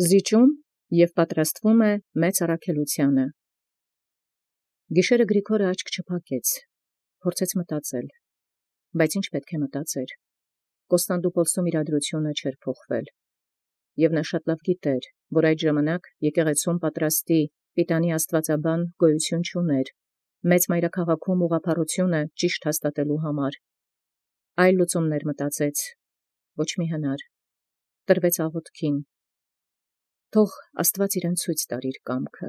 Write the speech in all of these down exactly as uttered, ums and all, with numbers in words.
զիջում և պատրաստվում է մեծ առաքելութեանը։ Գիշերը Գրիգորը աչք չփակեց, փորձեց մտածել, բայց ինչ պետք է մտածեր։ Կոստանդնուպոլսում իրադրությունը չէր փոխվել, և նա շատ լավ գիտեր, որ այդ ժամանակ եկեղեցում պատրաստի պիտանի աստվածաբան գոյություն չուներ, մեծ մայրաքաղաքում ուղղափառությունը ճիշտ հաստատելու համար։ Այլ լուծումներ մտածեց, ոչ մի հնար, տրվեց աղոթքին, թող Աստված իրեն ցույց տար իր կամքը։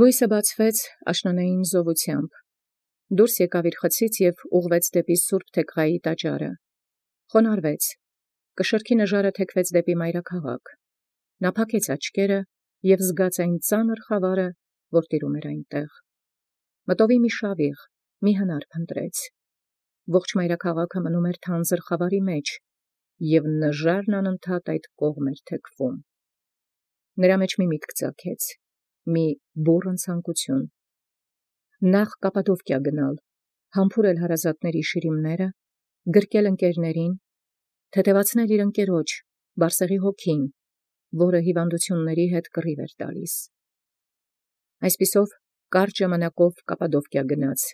Լույսը բացվեց աշնանային զովությամբ, դուրս եկավ իր խցից և ուղղվեց դեպի Սուրբ Թեքղայի տաճարը, խոնարհվեց, կշռքի նժարը թեքվեց դեպի մայրաքաղաք, նա փակեց աչքերը և զգաց այն ծանր խավարը, որ տիրում էր այնտեղ։ Մտովի մի շավիղ, մի հնար փնտրեց, ողջ մայրաքաղաքը մնում էր թանձր խավարի մեջ, և նժարն անընդհատ այդ կողմ էր թեքվում։ Նրա մեջ մի միտք ծագեց, մի բուռն ցանկություն. նախ Կապադովկիա գնալ, համբուրել հարազատների շիրիմները, գրկել ընկերներին, թեթևացնել իր ընկերոջ, Բարսեղի հոգին, որը հիվանդությունների հետ կռիվ էր տալիս։ Այսպիսով կարճ ժամանակով Կապադովկիա գնաց,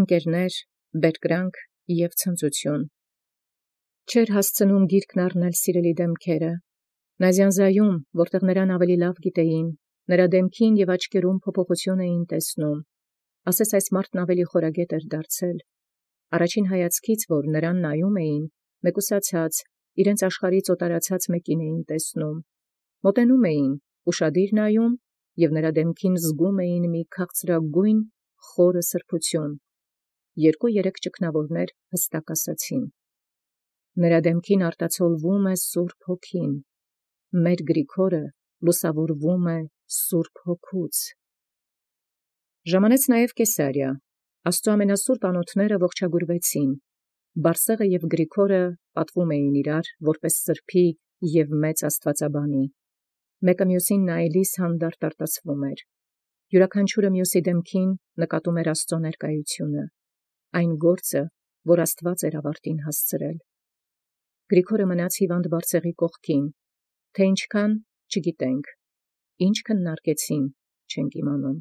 ընկերներ, բերկրանք և ցնծություն։ Չէր հասցնում գիրքն առնել սիրելի դեմքերը, նա զյանզայում, որտեղ նրան ավելի լավ գիտեին, նրա դեմքին և աչքերում փոփոխություն էին տեսնում, ասես այս մարդն ավելի խորագետ էր դարձել, առաջին հայացքից, որ նրան նայում էին, մեկուսացած, իրենց աշխարհից օտարացած մեկին էին տեսնում, մոտենում էին, ուշադիր նայում և նրա դեմքին զգում էին մի քաղցրագույն խորը սրբություն, երկու-երեք ճգնավորներ հստակ ասացին. նրա դեմքին արտացոլվում է Սուրբ Հոգին, մեր Գրիգորը լուսավորվում է Սուրբ Հոգուց։ Ժամանեց նաև Կեսարիա, Աստծու ամենասուրբ անոթները ողջագուրվեցին, Բարսեղը և Գրիգորը պատվում էին իրար, որպես սրբի և մեծ աստվածաբանի, մեկը մյուսին նայելիս հանդարտ արտասվում էր, յուրաքանչյուրը մյուսի դեմքին նկատում էր Աստծու ներկայությունը, այն գործը, որ Աստված էր ավարտին հասցրել։ Գրիգորը մնաց հիվանդ Բարսեղի կողքին, թե ինչքան չգիտենք, ինչ քննարկեցին չենք իմանում,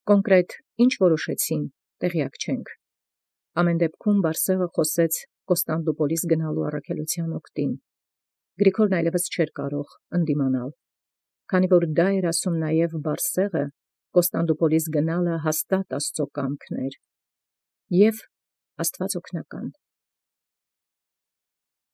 կոնկրետ ինչ որոշեցին տեղյակ չենք։ Ամեն դեպքում Բարսեղը խոսեց Կոստանդնուպոլիս գնալու առաքելության օգտին։ Գրիգորն այլևս չէր կարող ընդդիմանալ, քանի որ դա էր ասում նաև Բարսեղը, Կոստանդնուպոլիս գնալը հաստատ Աստծու կամքն էր և Աստված օգնական։